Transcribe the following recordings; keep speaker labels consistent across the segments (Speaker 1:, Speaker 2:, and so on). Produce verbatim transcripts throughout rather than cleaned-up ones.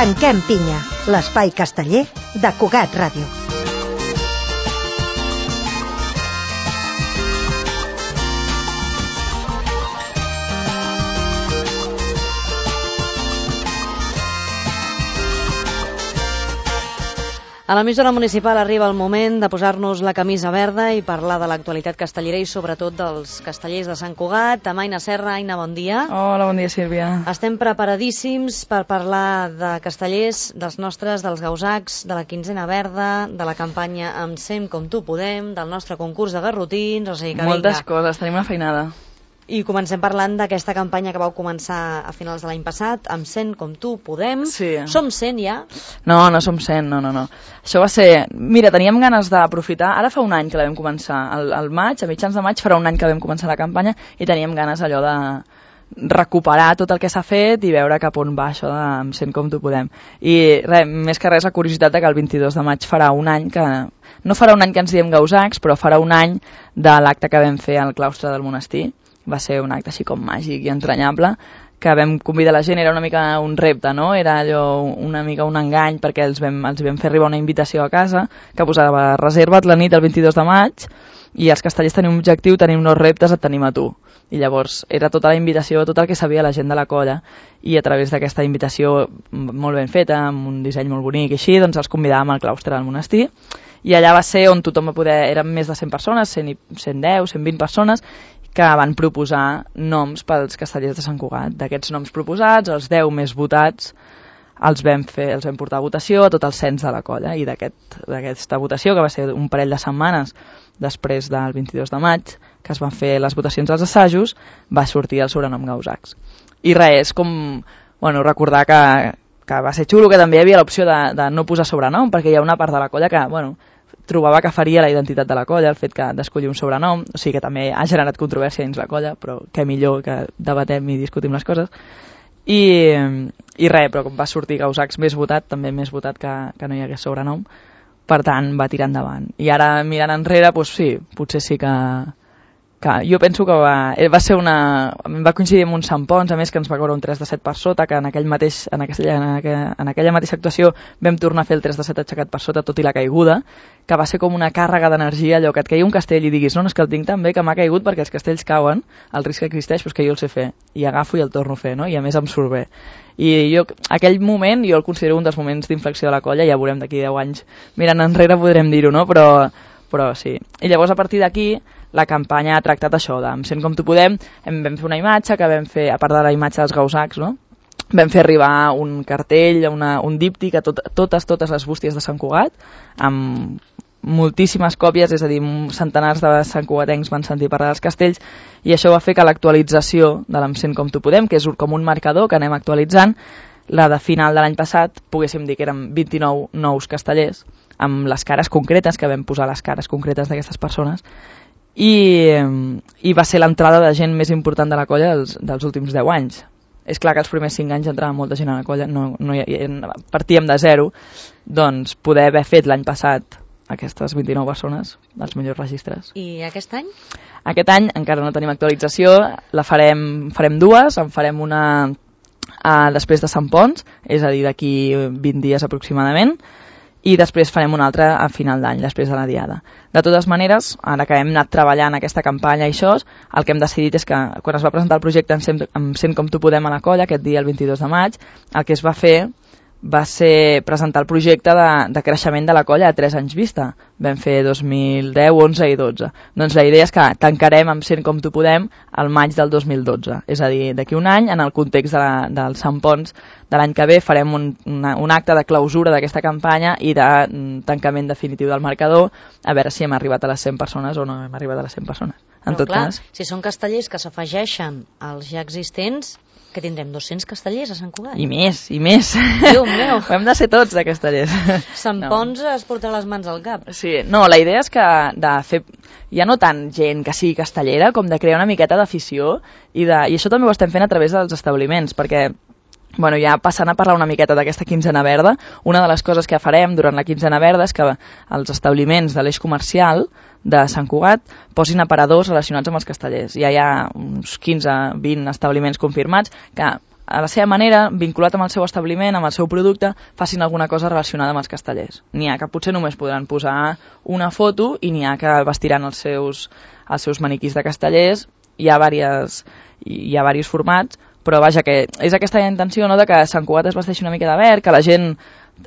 Speaker 1: Tanquem pinya, l'espai casteller de Cugat Ràdio.
Speaker 2: A l'emissora municipal arriba el moment de posar-nos la camisa verda i parlar de l'actualitat castellera i sobretot dels castellers de Sant Cugat. Amb Aina Serra. Aina, bon dia.
Speaker 3: Hola, bon dia, Sílvia.
Speaker 2: Estem preparadíssims per parlar de castellers, dels nostres, dels gausacs, de la quinzena verda, de la campanya Em sent com tu podem, del nostre concurs de garrotins, o sigui que
Speaker 3: Moltes
Speaker 2: vinga.
Speaker 3: coses, tenim una feinada.
Speaker 2: I comencem parlant d'aquesta campanya que vau començar a finals de l'any passat, Em sent com tu podem.
Speaker 3: Sí.
Speaker 2: Som cent ja?
Speaker 3: No, no som cent, no, no, no. Això va ser... Mira, teníem ganes d'aprofitar... Ara fa un any que la vam començar, al, al maig, a mitjans de maig farà un any que vam començar la campanya i teníem ganes allò de recuperar tot el que s'ha fet i veure cap on va això de Em sent com tu podem. I res, més que res la curiositat de que el vint-i-dos de maig farà un any que... No farà un any que ens diem gausacs, però farà un any de l'acte que vam fer al claustre del monestir. Va ser un acte així com màgic i entranyable, que vam convidar la gent, era una mica un repte, no? Era allò una mica un engany, perquè els vam, els vam fer arribar una invitació a casa, que posava reserva't la nit del vint-i-dos de maig, i els castellers tenim un objectiu, tenim uns reptes, et tenim a tu. I llavors era tota la invitació, tot el que sabia la gent de la colla, i a través d'aquesta invitació molt ben feta, amb un disseny molt bonic i així, doncs els convidàvem al claustre del monestir, i allà va ser on tothom va poder, eren més de cent persones, cent, cent deu, cent vint persones, que van proposar noms pels castellers de Sant Cugat. D'aquests noms proposats, els deu més votats, els vam, fer, els vam portar a votació a tot el cens de la colla, i d'aquesta aquest, votació, que va ser un parell de setmanes després del vint-i-dos de maig, que es van fer les votacions als assajos, va sortir el sobrenom Gausacs. I res, com bueno, recordar que, que va ser xulo, que també hi havia l'opció de, de no posar sobrenom, perquè hi ha una part de la colla que, bueno, trobava que faria la identitat de la colla, el fet que d'escollir un sobrenom, o sigui que també ha generat controvèrsia dins la colla, però què millor que debatem i discutim les coses. I, i res, però com va sortir Gausacs més votat, també més votat que, que no hi hagués sobrenom, per tant va tirar endavant. I ara mirant enrere, doncs sí, potser sí que... que jo penso que va, va ser una... va coincidir amb un Sant Pons, a més que ens va cobrar un tres de set per sota, que en, aquell mateix, en, aquella, en, aquella, en aquella mateixa actuació vam tornar a fer el tres de set aixecat per sota, tot i la caiguda, que va ser com una càrrega d'energia, allò que et caigui un castell i diguis no, no és que el tinc tan bé que m'ha caigut perquè els castells cauen, el risc que existeix, doncs que jo el sé fer, i agafo i el torno a fer, no? I a més em surt bé. I jo, aquell moment, jo el considero un dels moments d'inflexió de la colla, ja veurem d'aquí deu anys, mirant enrere podrem dir-ho, no? Però, però sí. I llavors a partir d'aquí, la campanya ha tractat això, de Em sent com tu podem, em vam fer una imatge que vam fer, a part de la imatge dels Gausacs, no? Vam fer arribar un cartell, una, un díptic a tot, totes, totes les bústies de Sant Cugat, amb moltíssimes còpies, és a dir, centenars de santcugatencs van sentir parlar dels castells, i això va fer que l'actualització de l'Em sent com tu podem, que és com un marcador que anem actualitzant, la de final de l'any passat, poguéssim dir que eren vint-i-nou nous castellers, amb les cares concretes, que vam posar les cares concretes d'aquestes persones, i, i va ser l'entrada de gent més important de la colla dels, dels últims deu anys. És clar que els primers cinc anys entrava molta gent a la colla, no, no hi, partíem de zero, doncs poder haver fet l'any passat aquestes vint-i-nou persones, els millors registres.
Speaker 2: I aquest any?
Speaker 3: Aquest any encara no tenim actualització, la farem, farem dues, en farem una uh, després de Sant Pons, és a dir, d'aquí vint dies aproximadament, i després farem una altra a final d'any, després de la diada. De totes maneres, ara que hem anat treballant aquesta campanya i això, el que hem decidit és que quan es va presentar el projecte Em sent, em sent com tu podem a la colla, aquest dia, el vint-i-dos de maig, el que es va fer va ser presentar el projecte de, de creixement de la colla a tres anys vista. Vam fer dos mil deu, onze i dotze. Doncs la idea és que tancarem Em sent com tu podem al maig del dos mil dotze. És a dir, d'aquí un any, en el context de la, del Sant Pons de l'any que ve, farem un, una, un acte de clausura d'aquesta campanya i de mm, tancament definitiu del marcador, a veure si hem arribat a les cent persones o no hem arribat a les cent persones. En
Speaker 2: Però
Speaker 3: tot
Speaker 2: clar,
Speaker 3: cas,
Speaker 2: si són castellers que s'afegeixen als ja existents, que tindrem dos-cents castellers a Sant Cugat.
Speaker 3: I més, i més.
Speaker 2: Déu meu.
Speaker 3: Ho hem de ser tots de castellers.
Speaker 2: Sant
Speaker 3: No.
Speaker 2: Pons es portarà les mans al cap.
Speaker 3: Sí, no, la idea és que de fer, ja no tant gent que sigui castellera, com de crear una miqueta d'afició, i, de, i això també ho estem fent a través dels establiments, perquè bueno, ja passant a parlar una miqueta d'aquesta quinzena verda, una de les coses que farem durant la quinzena verda és que els establiments de l'eix comercial de Sant Cugat posin aparadors relacionats amb els castellers. Ja hi ha uns quinze vint establiments confirmats que a la seva manera, vinculat amb el seu establiment, amb el seu producte, facin alguna cosa relacionada amb els castellers. N'hi ha que potser només podran posar una foto i n'hi ha que vestiran els seus, els seus maniquís de castellers. Hi ha diversos, hi ha diversos formats, però vaja, que és aquesta intenció, no?, de que Sant Cugat es vesteixi una mica de verd, que la gent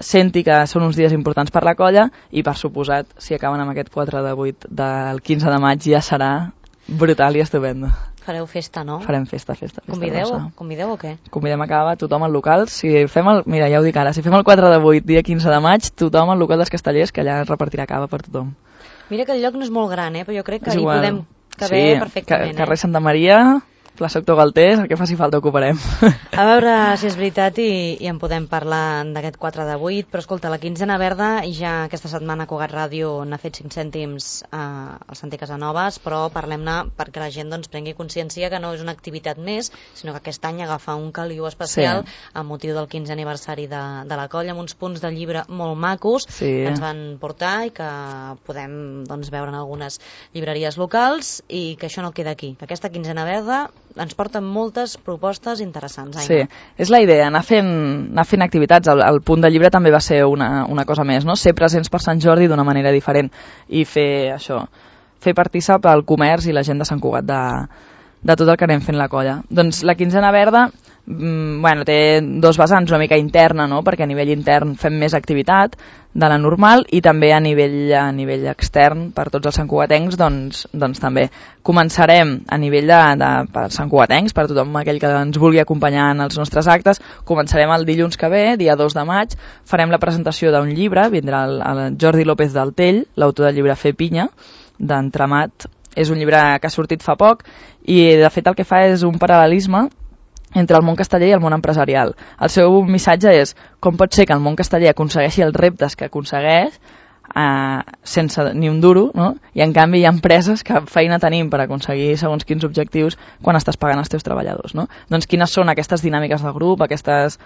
Speaker 3: senti que són uns dies importants per la colla i, per suposat, si acaben amb aquest quatre de vuit del quinze de maig ja serà brutal i estupendo.
Speaker 2: Fareu festa, no?
Speaker 3: Farem festa, festa. festa
Speaker 2: Convideu? Convideu o què?
Speaker 3: Convidem a acabar tothom al local. Si fem el, mira, ja ho dic ara, si fem el quatre de vuit, dia quinze de maig, tothom al local dels castellers, que allà repartirà cava per tothom.
Speaker 2: Mira que el lloc no és molt gran, eh? Però jo crec que
Speaker 3: és
Speaker 2: hi
Speaker 3: igual.
Speaker 2: podem caber
Speaker 3: sí,
Speaker 2: perfectament.
Speaker 3: Ca carrer
Speaker 2: eh?
Speaker 3: Santa Maria, plaça Doctor Galtés, el que faci falta ocuparem.
Speaker 2: A veure si és veritat i, i en podem parlar d'aquest quatre de vuit, però escolta, la quinzena verda ja aquesta setmana Cugat Ràdio n'ha fet cinc cèntims eh, al Santi Casanovas, però parlem-ne perquè la gent doncs, prengui consciència que no és una activitat més, sinó que aquest any agafa un caliu especial sí. amb motiu del quinze aniversari de, de la colla, amb uns punts de llibre molt macos sí. que ens van portar i que podem doncs, veure en algunes llibreries locals i que això no queda aquí, que aquesta quinzena verda ens porten moltes propostes interessants. Aina.
Speaker 3: Sí, és la idea, anar fent, anar fent activitats. El, el punt de llibre també va ser una, una cosa més, no? Ser presents per Sant Jordi d'una manera diferent i fer això, fer partícip al comerç i la gent de Sant Cugat de, de tot el que anem fent la colla. Doncs la quinzena verda mm, bueno, té dos vessants, una mica interna, no? Perquè a nivell intern fem més activitat de la normal i també a nivell, a nivell extern per tots els santcugatencs doncs, doncs també començarem a nivell de, de per santcugatencs, per tothom aquell que ens vulgui acompanyar en els nostres actes, començarem el dilluns que ve, dia dos de maig, farem la presentació d'un llibre, vindrà el, el Jordi López del Tell, l'autor del llibre Fer Pinya, d'Entremat. És un llibre que ha sortit fa poc i de fet el que fa és un paral·lelisme entre el món casteller i el món empresarial. El seu missatge és com pot ser que el món casteller aconsegueixi els reptes que aconsegueix eh, sense ni un duro, no? I en canvi hi ha empreses que feina tenim per aconseguir segons quins objectius quan estàs pagant els teus treballadors, no? Doncs quines són aquestes dinàmiques de grup, aquestes,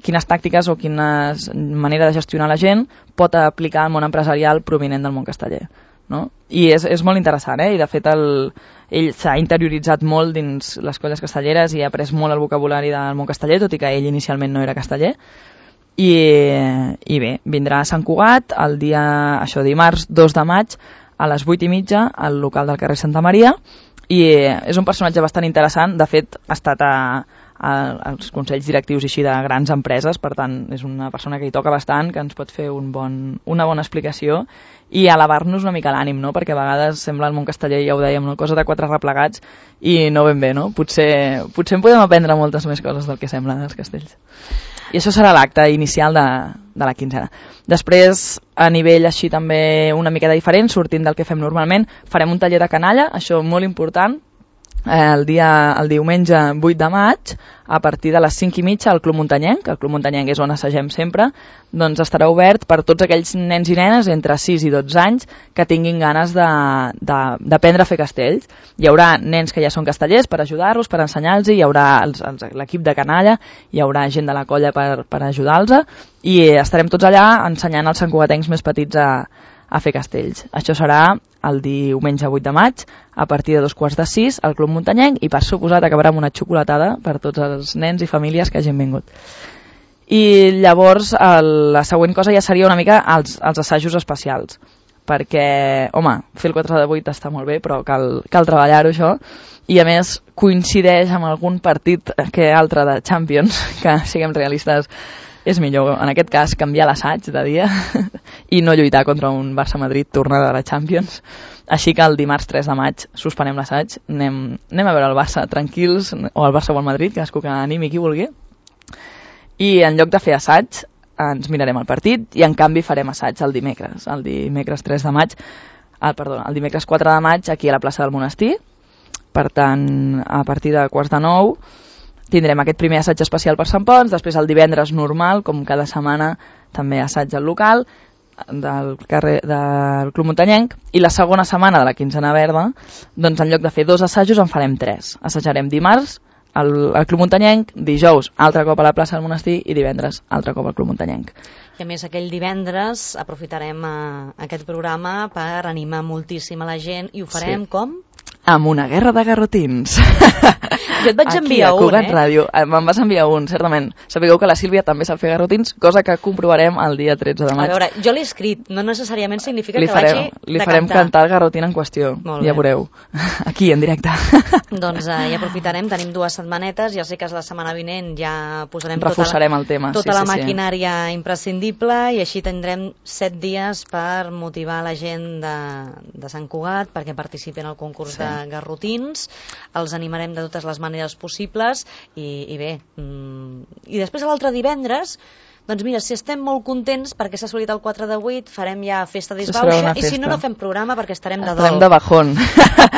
Speaker 3: quines tàctiques o quina manera de gestionar la gent pot aplicar al món empresarial provinent del món casteller, no? I és, és molt interessant, eh? I de fet el, ell s'ha interioritzat molt dins les colles castelleres i ha après molt el vocabulari del món casteller, tot i que ell inicialment no era casteller. I, i bé, vindrà a Sant Cugat el dia, això, dimarts dos de maig a les vuit i mitja al local del carrer Santa Maria i és un personatge bastant interessant, de fet ha estat a, a, als consells directius així de grans empreses, per tant és una persona que hi toca bastant, que ens pot fer un bon, una bona explicació i elevar-nos una mica l'ànim, no? Perquè a vegades sembla el món casteller, ja ho dèiem, no? Cosa de quatre replegats i no ben bé, no? Potser, potser en podem aprendre moltes més coses del que sembla dels castells. I això serà l'acte inicial de, de la quinzena. Després, a nivell així també una miqueta diferent, sortint del que fem normalment, farem un taller de canalla, això molt important, el, dia, el diumenge vuit de maig, a partir de les cinc i mitja al Club Muntanyenc, el Club Muntanyenc és on assagem sempre, doncs estarà obert per tots aquells nens i nenes entre sis i dotze anys que tinguin ganes d'aprendre a fer castells. Hi haurà nens que ja són castellers per ajudar-los, per ensenyar-los, hi haurà l'equip de canalla, hi haurà gent de la colla per, per ajudar-los i estarem tots allà ensenyant als santcugatencs més petits a, a fer castells. Això serà el diumenge vuit de maig, a partir de dos quarts de sis, al Club Muntanyenc, i per suposat acabarà amb una xocolatada per tots els nens i famílies que hagin vingut. I llavors el, la següent cosa ja seria una mica els, els assajos especials, perquè, home, fer el quatre de vuit està molt bé, però cal, cal treballar-ho això, i a més coincideix amb algun partit que altre de Champions, que siguem realistes, és millor, en aquest cas, canviar l'assaig de dia i no lluitar contra un Barça-Madrid tornada de la Champions. Així que el dimarts tres de maig suspenem l'assaig, anem, anem a veure el Barça tranquils, o el Barça o el Madrid, cadascú que animi qui vulgui, i en lloc de fer assaig ens mirarem el partit i en canvi farem assaig el dimecres, el dimecres tres de maig, el, perdó, el dimecres quatre de maig aquí a la plaça del Monestir. Per tant, a partir de quarts de nou tindrem aquest primer assaig especial per Sant Pons, després el divendres normal, com cada setmana, també assaig al local del, carrer, del Club Muntanyenc, i la segona setmana de la quinzena verda, doncs en lloc de fer dos assajos en farem tres. Assajarem dimarts al, al Club Muntanyenc, dijous altre cop a la plaça del Monestir i divendres altre cop al Club Muntanyenc.
Speaker 2: I a més aquell divendres aprofitarem a, aquest programa per animar moltíssim a la gent i ho farem sí. com?
Speaker 3: Amb una guerra de garrotins.
Speaker 2: Jo et vaig
Speaker 3: Aquí,
Speaker 2: enviar
Speaker 3: a
Speaker 2: un,
Speaker 3: Cugat
Speaker 2: eh?
Speaker 3: Ràdio. Me'n vas enviar un, certament. Sapigueu que la Sílvia també sap fer garrotins, cosa que comprovarem el dia tretze de
Speaker 2: A
Speaker 3: maig.
Speaker 2: veure, jo l'he escrit, no necessàriament significa
Speaker 3: li
Speaker 2: que
Speaker 3: farem,
Speaker 2: l'hagi
Speaker 3: li
Speaker 2: de
Speaker 3: farem
Speaker 2: cantar.
Speaker 3: cantar el garrotín en qüestió,
Speaker 2: Molt
Speaker 3: ja
Speaker 2: bé.
Speaker 3: veureu. Aquí, en directe.
Speaker 2: Doncs eh, ja aprofitarem, tenim dues setmanetes, ja sé que la setmana vinent ja posarem
Speaker 3: Reforçarem
Speaker 2: tota la,
Speaker 3: el tema.
Speaker 2: tota
Speaker 3: sí,
Speaker 2: la
Speaker 3: sí,
Speaker 2: maquinària sí. imprescindible i així tindrem set dies per motivar la gent de, de Sant Cugat perquè participin al concurs
Speaker 3: Sí.
Speaker 2: de garrotins, els animarem de totes les maneres possibles i, i bé, mm, i després l'altre divendres doncs mira, si estem molt contents perquè s'ha assolit el quatre de vuit, farem ja festa
Speaker 3: serà
Speaker 2: disbauxa
Speaker 3: una
Speaker 2: i si
Speaker 3: festa.
Speaker 2: no, no fem programa perquè estarem de
Speaker 3: Estarem
Speaker 2: dol.
Speaker 3: de bajón.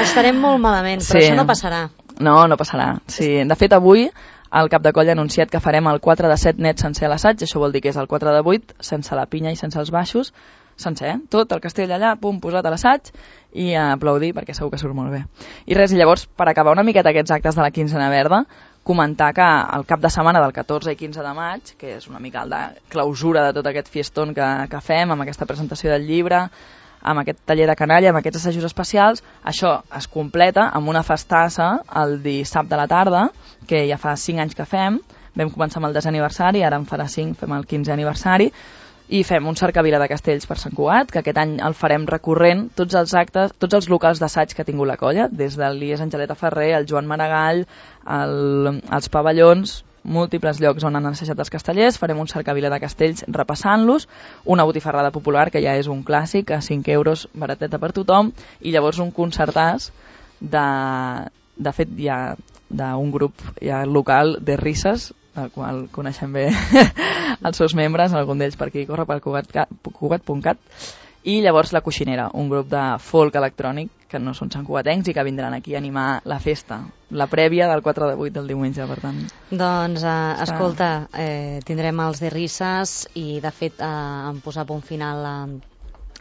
Speaker 2: Estarem molt malament, però
Speaker 3: Sí.
Speaker 2: això no passarà.
Speaker 3: No, no passarà. Sí, de fet, avui el cap de colla ha anunciat que farem el quatre de set net sencer a l'assaig, això vol dir que és el quatre de vuit, sense la pinya i sense els baixos, sencer, eh? Tot el castell allà, pum, posat a l'assaig i a aplaudir perquè segur que surt molt bé. I res, i llavors, per acabar una miqueta aquests actes de la quinzena verda, comentar que el cap de setmana del catorze i quinze de maig, que és una mica el de clausura de tot aquest fiestón que, que fem, amb aquesta presentació del llibre, amb aquest taller de canalla, amb aquests assajos especials, això es completa amb una festassa el dissabte a la tarda, que ja fa cinc anys que fem, vam començar amb el desè aniversari, ara en farà cinc, fem el quinzè aniversari, i fem un cercavila de castells per Sant Cugat, que aquest any el farem recorrent tots els actes, tots els locals d'assaig que ha tingut la colla, des del Lies Angeleta Ferrer, el Joan Maragall, el, els pavellons, múltiples llocs on han assajat els castellers, farem un cercavila de castells repassant-los, una botifarrada popular, que ja és un clàssic, a cinc euros, barateta per tothom, i llavors un concertàs de, de fet ja d'un grup ja local de risses, del qual coneixem bé els seus membres, algun d'ells per aquí corre per Cugat punt cat, i llavors la Coixinera, un grup de folk electrònic que no són santcugatencs i que vindran aquí a animar la festa, la prèvia del quatre de vuit del diumenge, per tant.
Speaker 2: Doncs, eh, escolta, eh, tindrem els de risses i, de fet, eh, en posar punt final a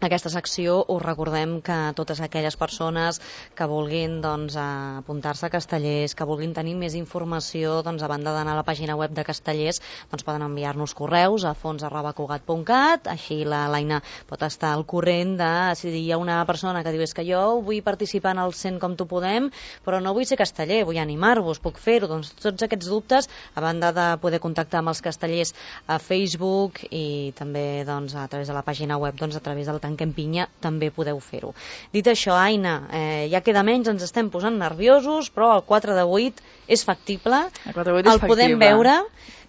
Speaker 2: aquesta secció us recordem que totes aquelles persones que vulguin doncs, apuntar-se a Castellers, que vulguin tenir més informació, doncs, a banda d'anar a la pàgina web de Castellers, doncs poden enviar-nos correus a fons arroba cugat punt cat, així la l'Aina pot estar al corrent de si hi ha una persona que diu és que jo vull participar en el cent com tu podem, però no vull ser casteller, vull animar-vos, puc fer-ho, doncs tots aquests dubtes, a banda de poder contactar amb els castellers a Facebook i també doncs, a través de la pàgina web, doncs, a través del Tanquem Pinya també podeu fer-ho. Dit això, Aina, eh, ja queda menys, ens estem posant nerviosos, però el quatre de vuit és factible,
Speaker 3: el, quatre de vuit és
Speaker 2: el podem
Speaker 3: factible.
Speaker 2: veure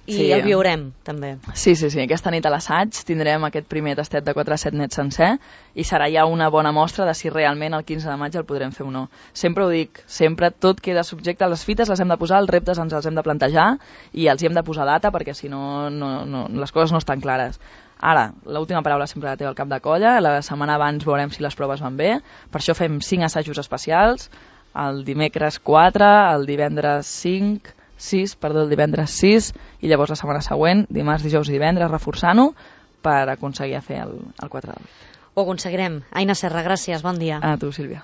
Speaker 2: i
Speaker 3: sí.
Speaker 2: el viurem també.
Speaker 3: Sí, sí, sí, aquesta nit a l'assaig tindrem aquest primer tastet de quatre a set net sencer i serà ja una bona mostra de si realment el quinze de maig el podrem fer o no. Sempre ho dic, sempre tot queda subjecte, les fites les hem de posar, els reptes ens els hem de plantejar i els hi hem de posar data perquè si no, no, no les coses no estan clares. Ara, l'última paraula sempre la té el cap de colla, la setmana abans veurem si les proves van bé, per això fem cinc assajos especials, el dimecres quatre, el divendres cinc, sis, perdó, el divendres sis, i llavors la setmana següent, dimarts, dijous i divendres, reforçant-ho per aconseguir fer el, el quatre de vuit.
Speaker 2: Ho aconseguirem. Aina Serra, gràcies, bon dia.
Speaker 3: A tu, Sílvia.